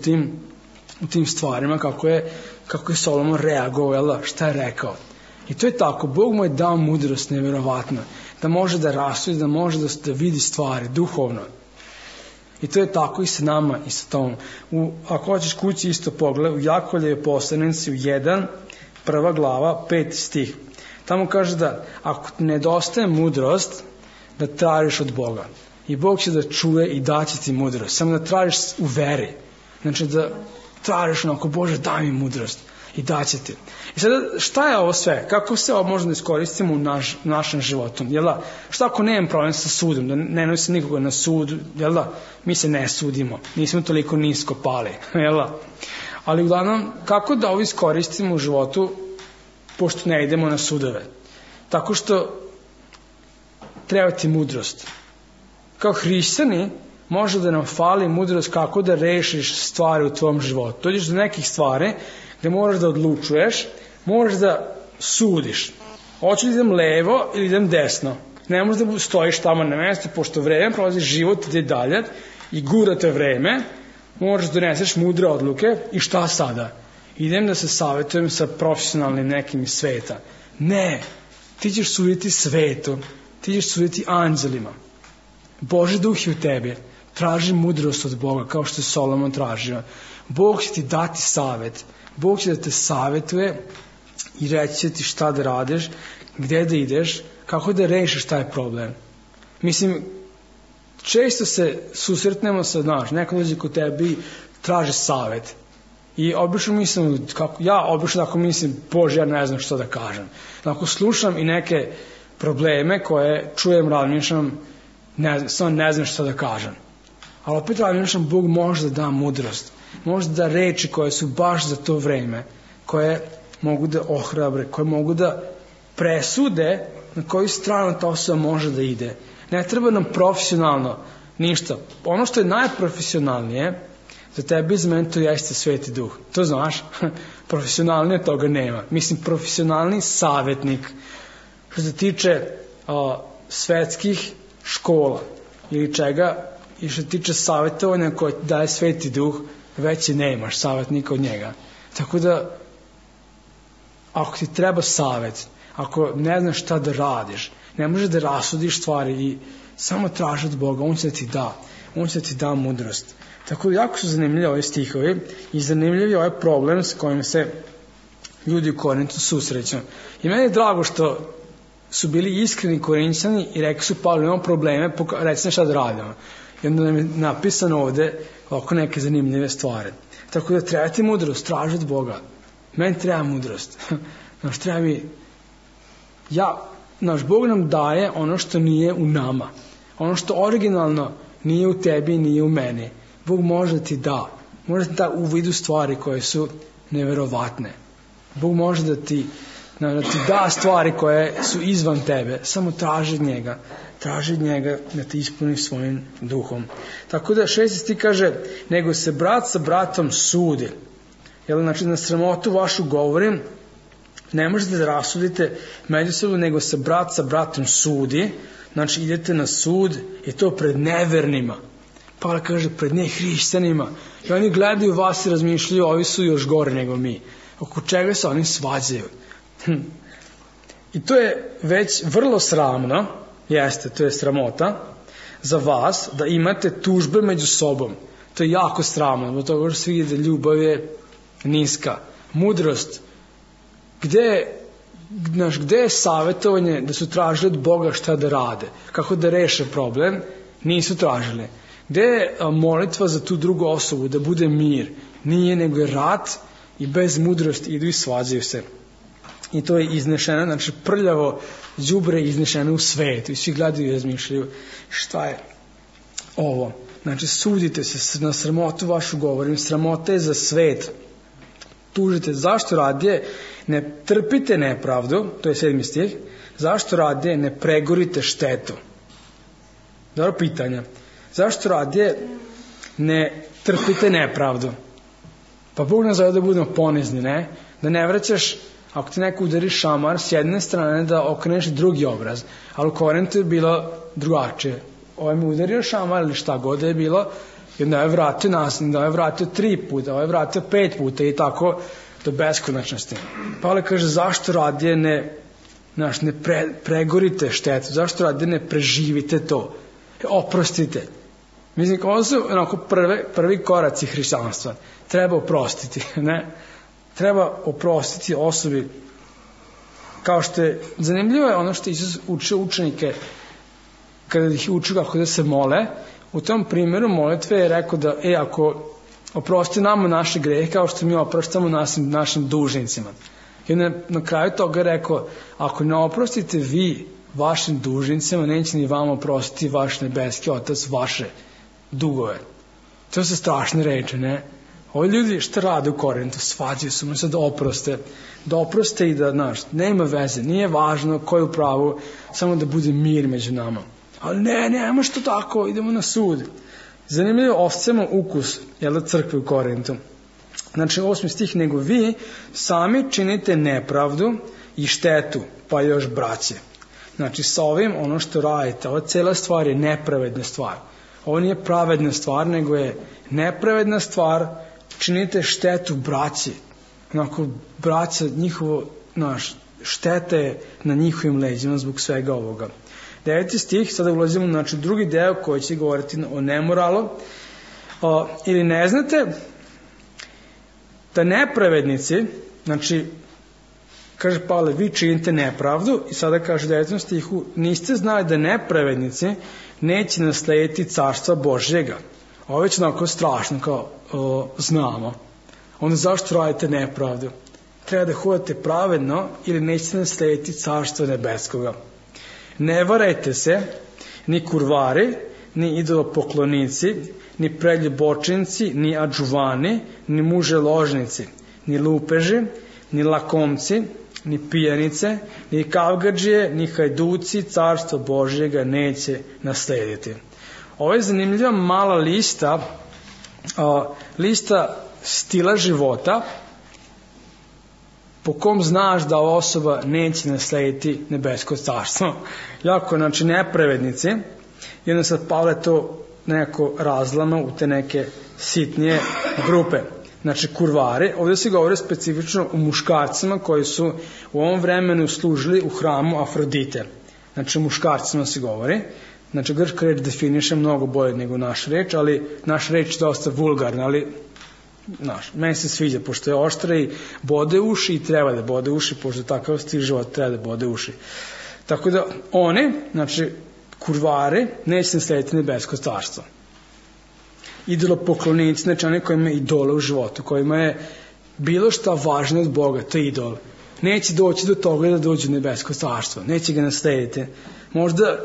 tim stvarima, kako je Solomon reagovao, šta je rekao. I to je tako, Bog mu je dao mudrost nevjerovatno, da može da rasudi, da može da vidi stvari duhovno. I to je tako i sa nama i sa tom. Ako hoćeš kući isto pogled, u Jakovljevoj poslanici u 1, 1. glava, 5. stih. Tamo kaže da ako ti nedostaje mudrost, da tražiš od Boga. I Bog će da čuje i daće ti mudrost. Samo da tražiš u veri. Znači da tražiš Bože, daj mi mudrost. I daće ti. I sada, šta je ovo sve? Kako se ovo možemo da iskoristimo u našem životu? Šta ako nemam problem sa sudom? Da ne nosi nikoga na sud? Mi se ne sudimo. Nismo toliko nisko pali. Ali uglavnom, kako da ovo iskoristimo u životu pošto ne idemo na sudove? Tako što treba ti mudrost. Kao hrišćani može da nam fali mudrost kako da rešiš stvari u tvom životu. Dođeš do nekih stvari gde moraš da odlučuješ, moraš da sudiš. Hoću da idem levo ili idem desno. Ne možeš da stojiš tamo na mjestu, pošto vreme prolazi, život ide dalje i gura te vreme, moraš da doneseš mudre odluke i šta sada? Idem da se savjetujem sa profesionalnim nekim iz sveta. Ne, ti ćeš suditi svetu, ti ćeš suditi anđelima. Božji duh je u tebi, traži mudrost od Boga, kao što je Solomon tražio. Bog će ti dati savjet, Bog će da te savjetuje i reći će ti šta da radiš, gde da ideš, kako da rešiš taj problem. Mislim, često se susretnemo sa, neko dođe kod tebe i traži savjet. I obično mislim, Bože, ja ne znam što da kažem. Ako slušam i neke probleme koje čujem, razmišljam, ne znam što da kažem. Ali opet razmišljam, Bog može da da mudrost. Može da reči koje su baš za to vreme, koje mogu da ohrabre, koje mogu da presude na koju stranu ta osoba može da ide. Ne treba nam profesionalno Ništa. Ono što je najprofesionalnije za tebe iz mene to jeste Sveti Duh. To znaš? Profesionalnije toga nema. Mislim, profesionalni savjetnik što se tiče svetskih škola ili čega i što se tiče savjetovanja koje daje Sveti Duh, već i nemaš savjetnika od njega. Tako da, ako ti treba savjet, ako ne znaš šta da radiš, ne možeš da rasudiš stvari i samo traži od Boga, On će da ti da. On će da ti da mudrost. Tako da, jako su zanimljivi ovi stihovi i zanimljiv je ovaj problem s kojim se ljudi u Korintu susreću. I meni je drago što su bili iskreni Korinćani i rekli su, Pavle, imamo probleme, reci šta da radimo. I onda nam je napisano ovde oko neke zanimljive stvari. Tako da treba ti mudrost, traži od Boga. Meni treba mudrost. Znaš, treba mi... Naš Bog nam daje ono što nije u nama. Ono što originalno nije u tebi i nije u meni. Bog može ti da. Može ti da u vidu stvari koje su neverovatne. Bog može da ti da stvari koje su izvan tebe. Samo traži od njega. Traži od njega da te ispuni svojim duhom. Tako da 6. stih kaže, nego se brat sa bratom sudi. Znači, na sramotu vašu govorim, ne možete da rasudite međusobno, nego se brat sa bratom sudi. Znači, idete na sud i to pred nevernima. Pavle kaže, pred nehrišćanima. I oni gledaju vas i razmišljaju, ovi su još gore nego mi. Oko čega se oni svađaju. I to je već vrlo sramno, jeste, to je sramota za vas, da imate tužbe među sobom. To je jako sramno, zbog toga što se vidi da ljubav je niska. Mudrost, gde je savjetovanje da su tražili od Boga šta da rade, kako da reše problem, nisu tražili. Gde je molitva za tu drugu osobu, da bude mir, nije, nego je rat i bez mudrosti idu i svađaju se. I to je iznešeno, znači prljavo đubre iznešeno u svetu i svi gledaju i razmišljaju šta je ovo. Znači, sudite se, na sramotu vašu govorim, sramota je za svet. Tužite, zašto radije ne trpite nepravdu, to je 7. stih, zašto radije ne pregorite štetu? Dobro pitanje. Zašto radije ne trpite nepravdu? Pa Bog nas zove da budemo ponizni, ne? Da ne vraćaš, ako ti neko udari šamar, s jedne strane da okreneš drugi obraz. Ali u Korintu je bilo drugačije. Ovaj mi udario šamar ili šta god je bilo, i onda je vratio nasilno, da je vratio 3 puta, ovaj je vratio 5 puta i tako do beskonačnosti. Pavle kaže, zašto radije ne pregorite štetu, zašto radije ne preživite to, oprostite. Mislim, ovo su prvi koraci hrišćanstva. Treba oprostiti, ne? Treba oprostiti osobi. Kao što je, zanimljivo je ono što Isus učio učenike, kada ih učio kako da se mole, u tom primjeru molitve je rekao da, ako oprosti nama naše grehe, kao što mi oproštamo našim dužnicima. I onda na kraju toga je rekao, ako ne oprostite vi vašim dužnicima, neće ni vama oprostiti vaš nebeski Otac vaše dugove. To su strašne reči, ne? Ovi ljudi šta rade u Korintu? Svađaju su mu se da oproste i da, nema veze, nije važno ko je u pravu, samo da bude mir među nama. Ali nema što tako, idemo na sud. Zanimljivo, osjećamo ukus, crkve u Korintu. Znači, 8. stih, nego vi sami činite nepravdu i štetu, pa još braće. Znači, sa ovim, ono što radite, ova cela stvar je nepravedna stvar. Ovo nije pravedna stvar, nego je nepravedna stvar, činite štetu braći. Onako, braća, šteta je na njihovim leđima zbog svega ovoga. 9. stih, sada ulazimo u drugi deo koji će govoriti o nemoralu. Ili ne znate da nepravednici, znači, kaže Pavle, vi činite nepravdu, i sada kaže u 9. stihu, niste znali da nepravednici neće naslediti carstva Božjega. Ovo je već onako strašno, kao znamo. Onda zašto radite nepravdu? Treba da hodate pravedno ili nećete naslediti carstva nebeskoga. Ne varajte se, ni kurvari, ni idolopoklonici, ni preljubočinci, ni adžuvani, ni muželožnici, ni lupeži, ni lakomci, ni pijanice, ni kavgadžije, ni hajduci, carstvo Božjega neće naslediti. Ovo je zanimljiva mala lista, lista stila života po kom znaš da ova osoba neće naslediti nebesko carstvo. Jako, znači, nepravednici. I onda sad Pavle to nekako razlama u te neke sitnije grupe. Znači, kurvari. Ovdje se govori specifično o muškarcima koji su u ovom vremenu služili u hramu Afrodite. Znači, o muškarcima se govori. Znači, grčka reč definiše mnogo bolje nego naša reč, ali naša reč je dosta vulgarna, ali meni se sviđa, pošto je oštra i bode uši i treba da bode uši, pošto je takav stil života, treba da bode uši. Tako da oni, znači, kurvari, neće naslediti nebesko carstvo. Idolopoklonici, znači oni koji imaju idole u životu, kojima je bilo šta važno od Boga, to je idol. Neće doći do toga da dođu u nebesko carstvo, neće ga naslediti. Možda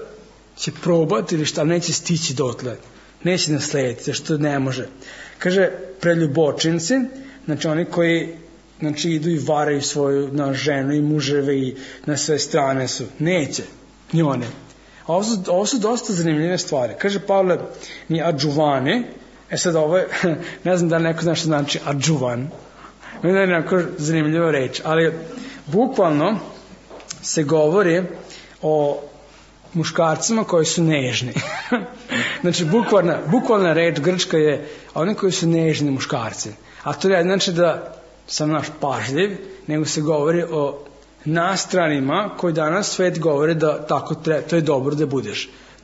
će probati ili šta, neće stići dotle, neće naslediti, što ne može. Kaže, preljubočinci, znači oni koji, znači, idu i varaju svoju ženu i muževe i na sve strane su, neće, ni one. Ovo su dosta zanimljive stvari. Kaže Pavle, ni adžuvani, sad ovo je, ne znam da li neko zna što znači adžuvan, ne da je neko zanimljiva reč, ali bukvalno se govori o muškarcima koji su nežni. Znači, bukvalna reč grčka je oni koji su nežni muškarci. A to je znači da sam naš pažljiv, nego se govori o nastranima koji danas svet govore da tako treba, to je dobro da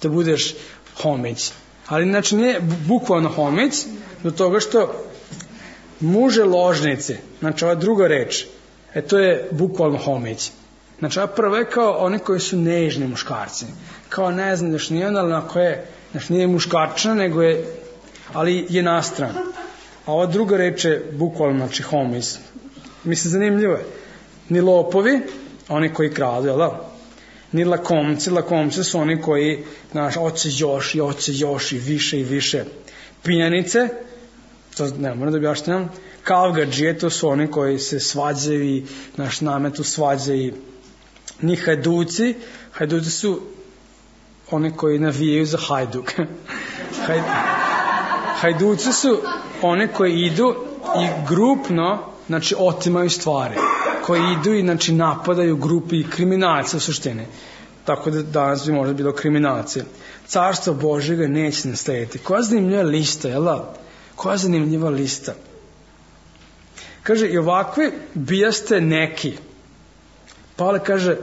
budeš homić. Ali znači nije bukvalno homić, do toga što muže ložnici, znači ova druga reč, to je bukvalno homić. Znači ova prva je kao oni koji su nežni muškarci. Kao ne znam, znači nije ona, znači nije muškarčina, nego je, ali je nastran. A ova druga reč je bukvalno, znači homić. Mislim, zanimljivo je. Ni lopovi, oni koji kradu, jel da? Ni lakomci su oni koji, znaš, oće još i više. Pijanice, to ne moram da objašnjam, kavgadžije, to su oni koji se svađaju i naš nametu svađaju. Ni hajduci su oni koji navijaju za Hajduk. Hajduci su oni koji idu i grupno, znači, otimaju stvari, koji idu i, znači, napadaju grupi kriminalca u suštini. Tako da danas bi možda bilo kriminalci. Carstvo Božjega neće naslediti. Koja zanimljiva lista, jel da? Koja zanimljiva lista. Kaže, i ovakvi bijaste neki. Pavle kaže,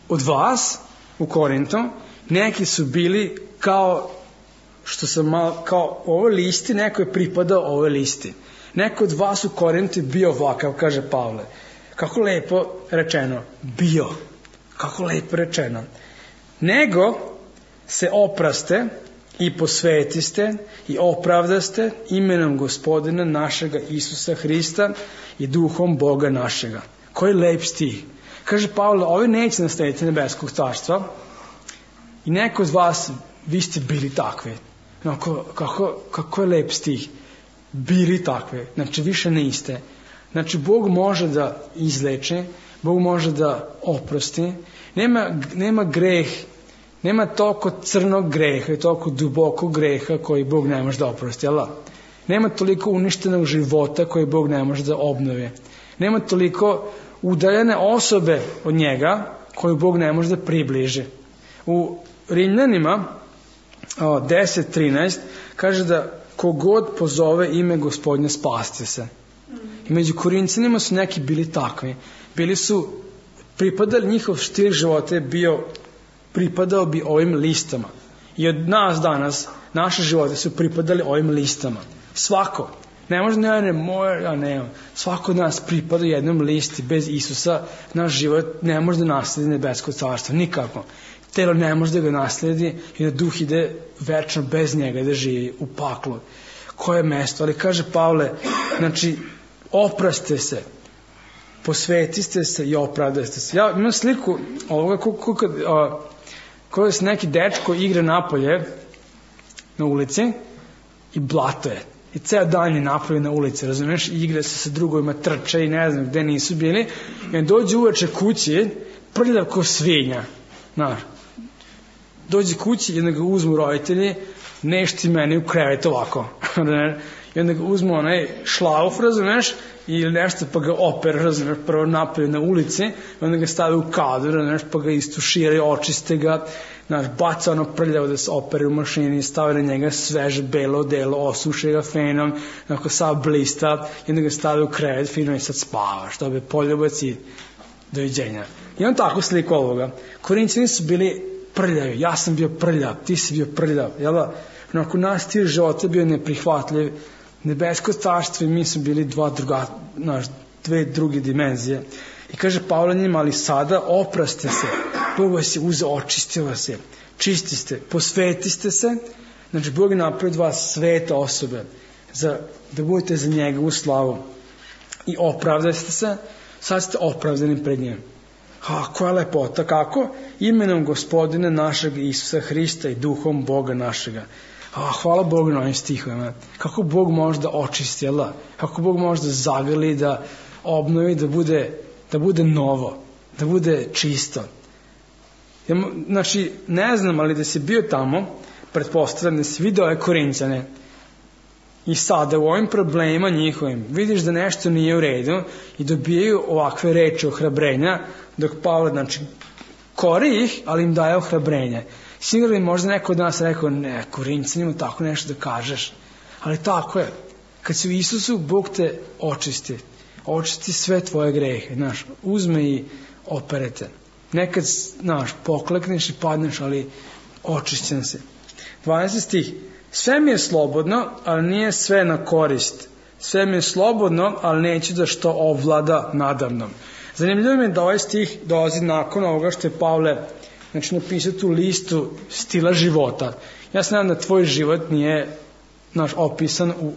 od vas u Korintu, neki su bili kao, što sam malo, kao ovoj listi, neko je pripadao ovoj listi. Neko od vas u Korintu je bio ovakav, kaže Pavle. Kako lepo rečeno, bio. Kako lepo rečeno. Nego se opraste i posvetiste i opravdaste imenom Gospodina našega Isusa Hrista i duhom Boga našega. Koji lep stih. Kaže Pavle, ovi neće naslediti nebeskog carstva i neko od vas, vi ste bili takvi. No, kako je lep stih. Bili takvi. Znači, više niste. Znači, Bog može da izleče, Bog može da oprosti. Nema greh, nema toliko crnog greha i toliko dubokog greha koji Bog ne može da oprosti. Nema toliko uništenog života koji Bog ne može da obnovi. Nema toliko udaljene osobe od njega koju Bog ne može da približi. U Rimljanima 10.13 kaže da kogod pozove ime Gospodnje spasti se. I među Korinćanima su neki bili takvi. Bili su pripadali, njihov stil života je bio, pripadao bi ovim listama. I od nas danas, naše živote su pripadali ovim listama. Svako. Ne može, svako od nas pripada jednom listi. Bez Isusa naš život ne može da nasledi nebesko carstvo. Nikako. Telo ne može da ga nasledi i da duh ide večno bez njega da živi u paklu. Koje mesto? Ali kaže Pavle, znači, opraste se, posvetiste se i opravdaste se. Ja imam sliku ovoga koja se neki dečko igra napolje na ulici i blato je. I ceo dan je napolje na ulici, razumiješ? I igra se sa drugovima, trče i ne znam gde nisu bili. I on dođe uveče kući, prljav ko svinja. Dođe kući i onda ga uzmu roditelji, neš ti meni u krevet ovako. I onda ga uzmu onaj šlauf, razumeš, ili nešto, pa ga opere, razumeš, prvo napolje na ulici, i onda ga stave u kadru, razumeš, pa ga istuširaju, očiste ga, znaš, baca ono prljavo da se opere u mašini, stave na njega sveže belo odelo, osuše ga fenom, onako sav blista, i onda ga stave u krevet, fino i sad spavaš, dobe poljubac i doviđenja. I on tako sliku ovoga. Korinćani su bili prljavi, ja sam bio prljav, ti si bio prljav, jel da? Onako naš stil života bio neprihvatljiv, nebesko carstvo i mi smo bili dve druge dimenzije. I kaže Pavle njima, ali sada opraste se, Bog vas je uzeo, očistio vas je, čisti ste, posvetiste se, znači Bog je napravio vas svete osobe, da budete za njega u slavu. I opravdaste se, sad ste opravdani pred njim. Koja lepota, kako? Imenom Gospodina našeg Isusa Hrista i duhom Boga našega. Hvala Bogu na ovim stihovima. Kako Bog može da očisti, jel da? Kako Bog može da zagrli, da obnovi, da bude novo, da bude čisto. Znači, ne znam, ali da si bio tamo, pretpostavljam da si vidio ove Korinćane i sada u ovim problemima njihovim vidiš da nešto nije u redu i dobijaju ovakve reči ohrabrenja, dok Pavle, znači, kori ih, ali im daje ohrabrenje. Sigurno možda neko od nas rekao, ne, Korinćanima tako nešto da kažeš. Ali tako je. Kad si u Isusu, Bog te očisti. Očisti sve tvoje grehe. Znaš, uzme i operete. Nekad, znaš, poklekneš i padneš, ali očišćen si. 12. stih. Sve mi je slobodno, ali nije sve na korist. Sve mi je slobodno, ali neću da što ovlada nadamnom. Zanimljivo mi je da ovaj stih dolazi nakon ovoga što je Pavle napisao tu listu stila života. Ja se nadam da tvoj život nije opisan u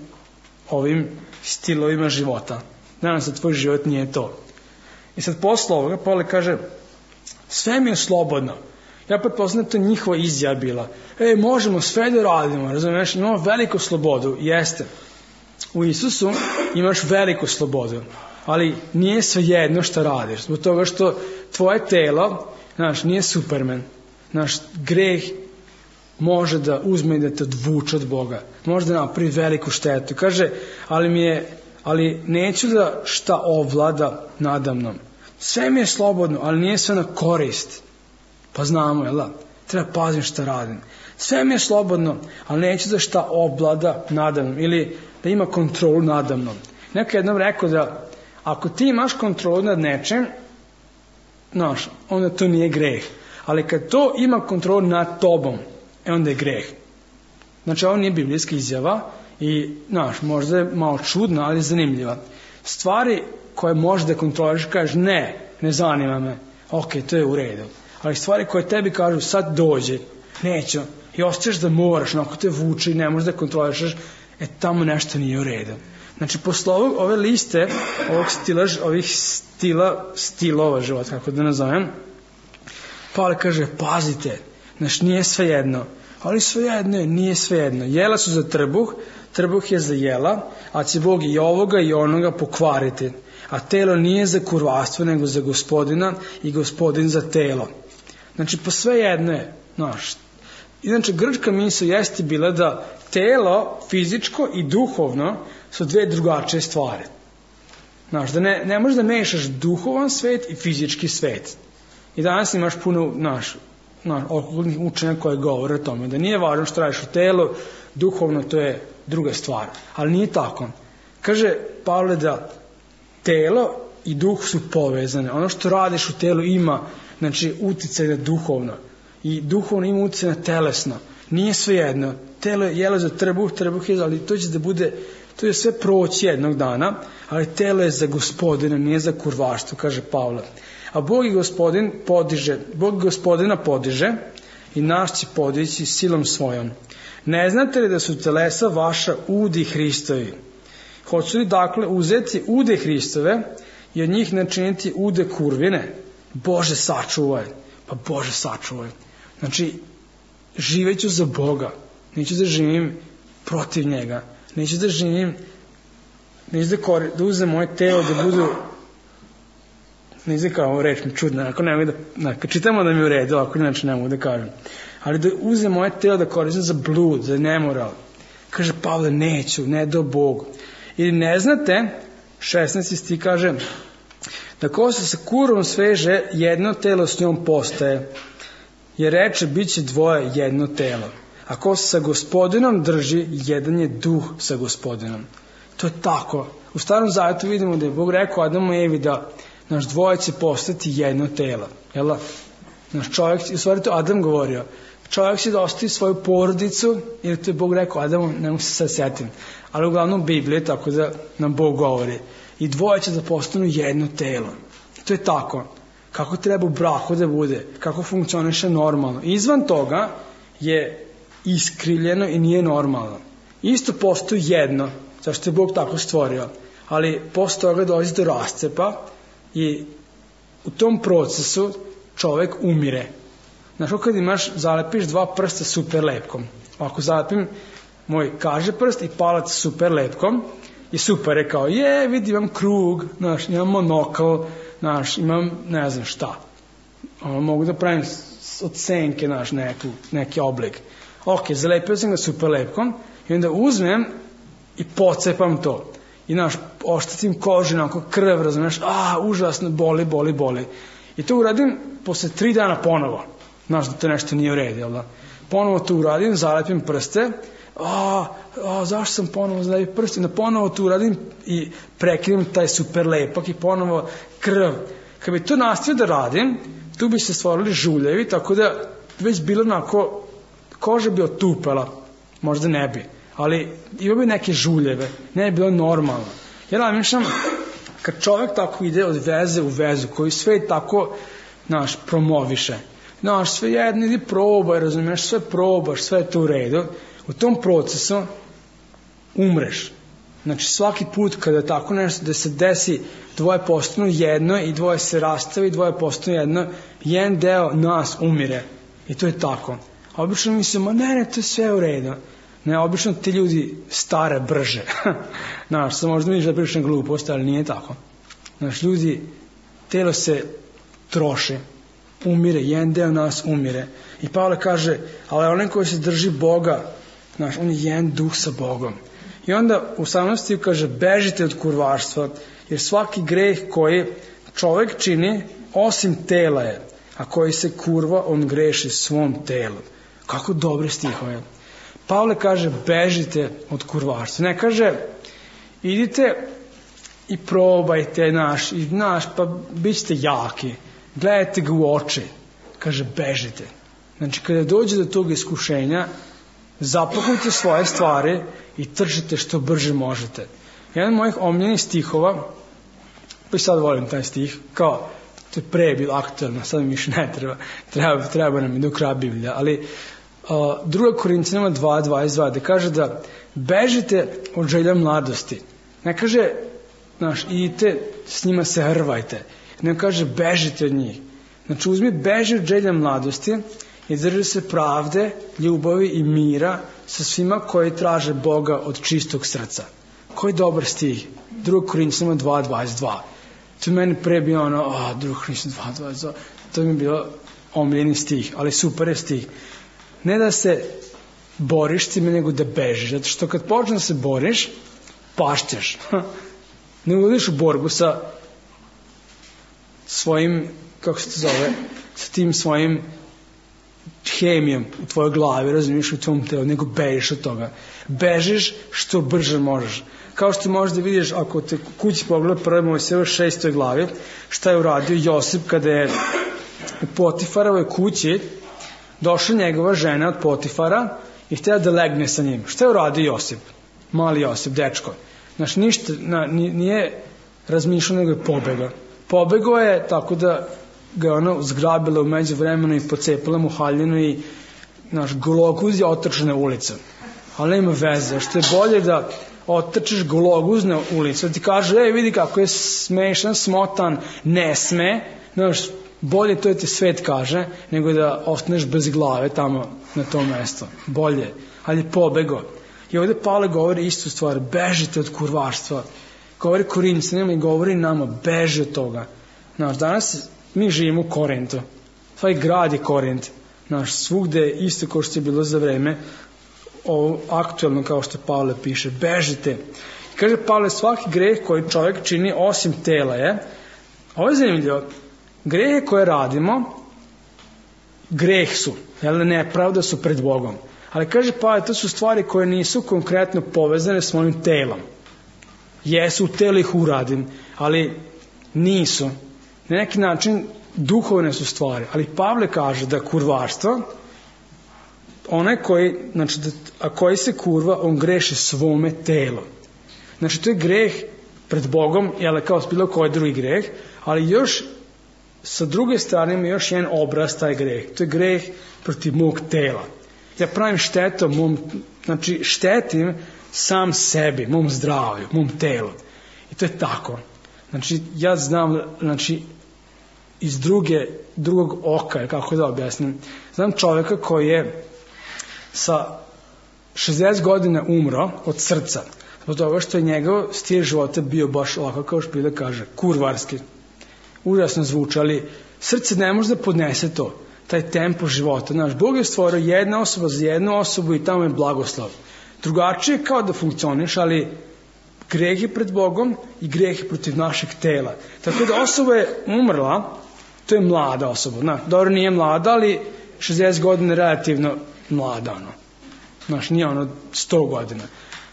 ovim stilovima života. Nadam se da tvoj život nije to. I sad posle ovoga Pavle kaže, sve mi je slobodno. Ja pretpostavljam da to njihova izjava bila. Možemo sve da radimo, razumiješ, imamo veliku slobodu. Jeste. U Isusu imaš veliku slobodu, ali nije sve jedno što radiš. Zbog toga što tvoje telo, nije Superman. Greh može da uzme i da te odvuče od Boga. Može da napravi veliku štetu. Kaže, ali neću da šta ovlada nadamnom. Sve mi je slobodno, ali nije sve na korist. Pa znamo, jel da? Treba pazim šta radim. Sve mi je slobodno, ali neću da šta ovlada nadamnom. Ili da ima kontrolu nadamnom. Neko jednom rekao da ako ti imaš kontrolu nad nečem, onda to nije greh. Ali kad to ima kontrolu nad tobom, onda je greh. Znači, ovo nije biblijska izjava i, možda je malo čudna, ali zanimljiva. Stvari koje možeš da kontroliš, kažeš ne zanima me, ok, to je u redu. Ali stvari koje tebi kažu sad dođe, neću, i osjećaš da moraš, ako te vuče i ne možeš da kontrolišaš, tamo nešto nije u redu. Znači, posle ove liste, ovih stilova života, kako da nazovem, Pavle kaže, pazite, nije sve jedno, ali sve jedno je, nije sve jedno. Jela su za trbuh je za jela, a će Bog i ovoga i onoga pokvariti. A telo nije za kurvarstvo, nego za Gospodina i Gospodin za telo. Znači, po sve jedno je, Inače, grčka misao jeste bila da telo, fizičko i duhovno su dve drugačije stvari. Da ne možeš da mešaš duhovan svet i fizički svet. I danas imaš puno okultnih učenja koje govore o tome, da nije važno što radiš u telu, duhovno to je druga stvar. Ali nije tako. Kaže Pavle da telo i duh su povezane. Ono što radiš u telu ima, uticaj na duhovno. I duhovno ima uticaj na telesno. Nije sve jedno. Telo je jelo za trbuh je, ali to će da bude, to je sve proći jednog dana, ali telo je za Gospodina, nije za kurvarstvo, kaže Pavle. A Bog Gospodina podiže i nas će podići silom svojom. Ne znate li da su telesa vaša udi Hristovi? Hoću li dakle uzeti ude Hristove i od njih načiniti ude kurvine? Bože sačuvaj. Pa Bože sačuvaj. Znači, živeću za Boga. Neću da živim protiv njega. Neću da uzem moje telo da budu, ne znam kao reč mi čudna, ako ne mogu da, kad čitamo da mi u redu, ako inače ne mogu da kažem. ali da uzem moje telo da koristim za blud, za nemoral. Kaže Pavle, neću, ne do Bog. Ili ne znate, 16. stih kaže, da kosa sa kurvom sveže, jedno telo s njom postaje. Jer reče, bit će dvoje jedno telo. A ko se sa Gospodinom drži, jedan je duh sa Gospodinom. To je tako. U Starom Zavetu vidimo da je Bog rekao Adamu i Evi da naš dvoje će postati jedno telo. Jel? Naš čovjek, u stvari to Adam govorio, čovjek će da ostavi svoju porodicu, jer to je Bog rekao Adamu, ne mogu se sad sjetim, ali uglavnom Biblije, tako da nam Bog govori. I dvoje će da postanu jedno telo. To je tako. Kako treba u braku da bude, kako funkcioniše normalno. Izvan toga je iskrivljeno i nije normalno. Isto postoji jedno, zašto je Bog tako stvorio, ali posle toga dolazi do rascepa i u tom procesu čovek umire. Znaš, kad zalepiš dva prsta super lepkom, ako zalepim moj kaže prst i palac super lepkom, i super je kao, vidi, imam krug, znaš, imam monokl, znaš, imam ne znam šta. Mogu da pravim od senke, znaš, neki oblik. Ok, zalepio sam ga super lepkom i onda uzmem i pocepam to. I, znaš, oštetim kožu, onako krv, razumeš, užasno, boli. I to uradim posle 3 dana ponovo. Znaš da to nešto nije u redu, jel da? Ponovo to uradim, zalepim prste, zašto sam ponovo zalepio prste? Da ponovo to uradim i prekinem taj super lepak i ponovo krv. Kad bi to nastavio da radim, tu bi se stvorili žuljevi, tako da već bilo onako, koža bi otupela, možda ne bi, ali ima bi neke žuljeve, ne bi bilo normalno. Jer namišljam, kad čovjek tako ide od veze u vezu, koji sve tako, znaš, promoviše, znaš, sve jedno, idi probaj, razumiješ, sve probaš, sve je to u redu, u tom procesu umreš. Znači, svaki put kada tako nešto, da se desi, dvoje postanu jedno i dvoje se rastavi, dvoje postanu jedno, jedan deo nas umire. I to je tako. A obično mislimo, ne, to je sve u redu. Ne, obično ti ljudi stare brže. Znaš, sam možda misliš da pričam glupost, ali nije tako. Znaš, ljudi, telo se troši, umire, jedan deo nas umire. I Pavle kaže, ali onaj koji se drži Boga, znaš, on je jedan duh sa Bogom. I onda u 18. kaže, bežite od kurvarstva, jer svaki greh koji čovek čini, osim tela je, a koji se kurva, on greši svom telu. Kako dobre stihove. Pavle kaže, bežite od kurvarstva. Ne kaže, idite i probajte, pa bit ćete jaki. Gledajte ga u oči. Kaže, bežite. Znači, kada dođe do tog iskušenja, zapakujte svoje stvari i tržite što brže možete. Jedan od mojih omiljenih stihova, pa i sad volim taj stih, kao, to je pre bilo aktualno, sad mi više ne treba nam i do kraja Biblija, ali 2. Korinćanima 2:22, da kaže da bežite od želja mladosti. Ne kaže, idite s njima se hrvajte, ne kaže bežite od njih. Znači, beži od želja mladosti i drži se pravde, ljubavi i mira sa svima koji traže Boga od čistog srca. Koji dobar stih. 2. Korinćanima 2:22. To je meni pre bio 2. Korinćanima 2:22. To mi je bilo omiljeni stih, ali super je stih. Ne da se boriš time, nego da bežiš. Zato što kad počneš da se boriš, pašćeš. Ne ulaziš u borbu sa svojim, kako se to zove, sa tim svojim hemijom u tvojoj glavi, razumiješ, u tvom telu, nego bežiš od toga. Bežiš što brže možeš. Kao što možeš da vidiš, ako te kući pogleda 1. Mojsijeva 6. glavi, šta je uradio Josip kada je u Potifarovoj kući došla njegova žena od Potifara i htjela da legne sa njim. Šta je uradio Josip? Mali Josip, dečko. Znaš, ništa, nije razmišljao, nego je pobegao. Pobegao je tako da ga ona zgrabila u međuvremenu i pocepala mu haljinu i gologuz je otrčao na ulicu. Ali nema veze, što je bolje da otrčiš gologuz na ulicu, da ti kaže, vidi kako je smešan, smotan, ne sme, bolje to ti svet kaže, nego da ostaneš bez glave tamo na tom mestu. Bolje, ali je pobego. I ovdje Pavle govori istu stvar, bežite od kurvarstva. Govori Korinćanima i govori nama, beži od toga. Danas mi živimo u Korintu. Tvoj grad je Korint. svugde isto kao što je bilo za vreme ovo aktuelno, kao što Pavle piše, bežite. Kaže Pavle, svaki greh koji čovjek čini osim tela je, ovo je zanimljivo, grehe koje radimo, greh su, nepravda su pred Bogom. Ali kaže Pavle, to su stvari koje nisu konkretno povezane s mojim telom. Jesu, u telu ih uradim, ali nisu. Na neki način duhovne su stvari. Ali Pavle kaže da kurvarstvo, onaj koji se kurva, on greši svome telu. Znači, to je greh pred Bogom, kao bilo koji drugi greh, ali još sa druge strane ima još jedan obraz taj greh. To je greh protiv mog tela. Ja pravim štetu štetim sam sebi, mom zdravlju, mom telu. I to je tako. Znači, ja znam, iz drugog oka, kako da objasnim, znam čovjeka koji je sa 60 godina umro od srca, zbog toga što je njegov stil života bio baš ovako, kao što Biblia kaže, kurvarski. Užasno zvuči, ali srce ne može da podnese to, taj tempo života. Bog je stvorio jedna osoba za jednu osobu i tamo je blagoslov. Drugačije kao da funkcioniš, ali greh je pred Bogom i greh je protiv našeg tela. Tako da osoba je umrla, to je mlada osoba. Dobro, nije mlada, ali 60 godina je relativno mlada. Nije 100 godina.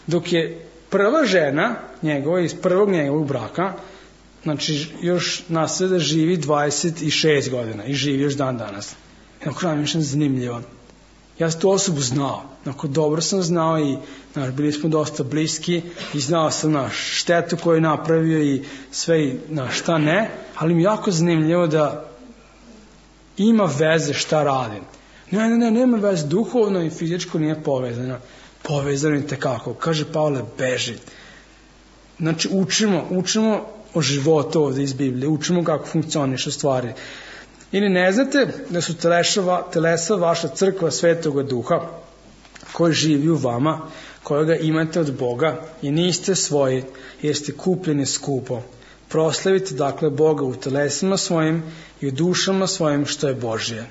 Dok je prva žena njegova, iz prvog njegovog braka, još nasleda živi 26 godina i živi još dan danas. Zanimljivo. Ja sam tu osobu znao. Dobro sam znao i bili smo dosta bliski i znao sam štetu koju je napravio i sve i šta ne, ali mi je jako zanimljivo da ima veze šta radim. Nema veze, duhovno i fizičko nije povezano. Povezano i tekako. Kaže Pavle, beži. Učimo o životu ovdje iz Biblije, učimo kako funkcionišu stvari. Ili ne znate da su telesa vaša crkva Svetoga Duha koji živi u vama, kojega imate od Boga i niste svoji, jer ste kupljeni skupo. Proslavite dakle Boga u telesima svojim i u dušama svojim što je Božje.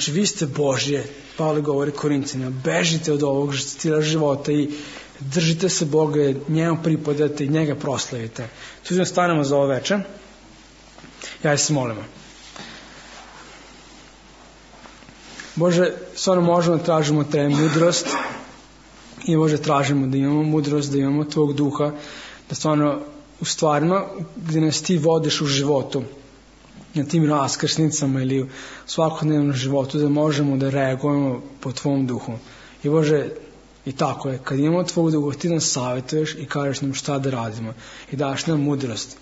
Vi ste Božje, Pavle govori Korincima, bežite od ovog stila života i držite se Boga, njemu pripadate i njega proslavite. Tu stanemo za ovo večer. Ja se molimo. Bože, stvarno možemo da tražimo te mudrost i Bože tražimo da imamo mudrost, da imamo Tvog duha, da stvarno u stvarima gdje nas Ti vodiš u životu, na tim raskrsnicama ili u svakodnevnom životu, da možemo da reagujemo po Tvom duhu. I Bože, i tako je, kad imamo Tvog duha, Ti nas savjetuješ i kažeš nam šta da radimo i daš nam mudrost.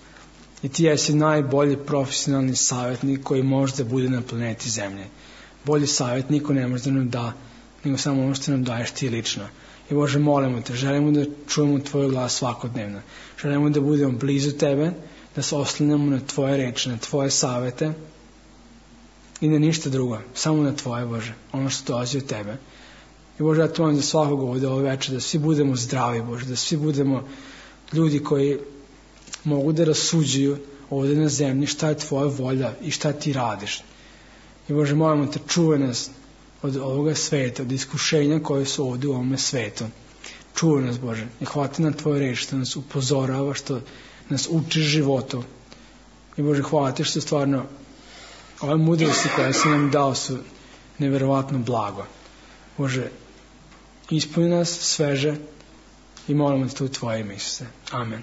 I Ti jesi najbolji profesionalni savjetnik koji može da bude na planeti Zemlje. Bolji savjet niko ne može da nam da, nego samo ono što nam daješ Ti lično. I Bože, molimo Te, želimo da čujemo Tvoj glas svakodnevno. Želimo da budemo blizu Tebe, da se oslanjamo na Tvoje reči, na Tvoje savete i na ništa drugo, samo na Tvoje, Bože, ono što dolazi od Tebe. I Bože, ja te molim za svakog ovdje ove večer, da svi budemo zdravi, Bože, da svi budemo ljudi koji mogu da rasuđuju ovdje na zemlji šta je Tvoja volja i šta Ti radiš. I Bože, molimo Te, čuvaj nas od ovoga sveta, od iskušenja koje su ovdje u ovome svetu. Čuvaj nas, Bože, i hvati na Tvoje reči, što nas upozorava, što nas učiš životu. I Bože, hvala Ti što stvarno ove mudrosti koje si nam dao su neverovatno blago. Bože, ispuni nas sveže i molimo Te u Tvoje ime, Isuse. Amen.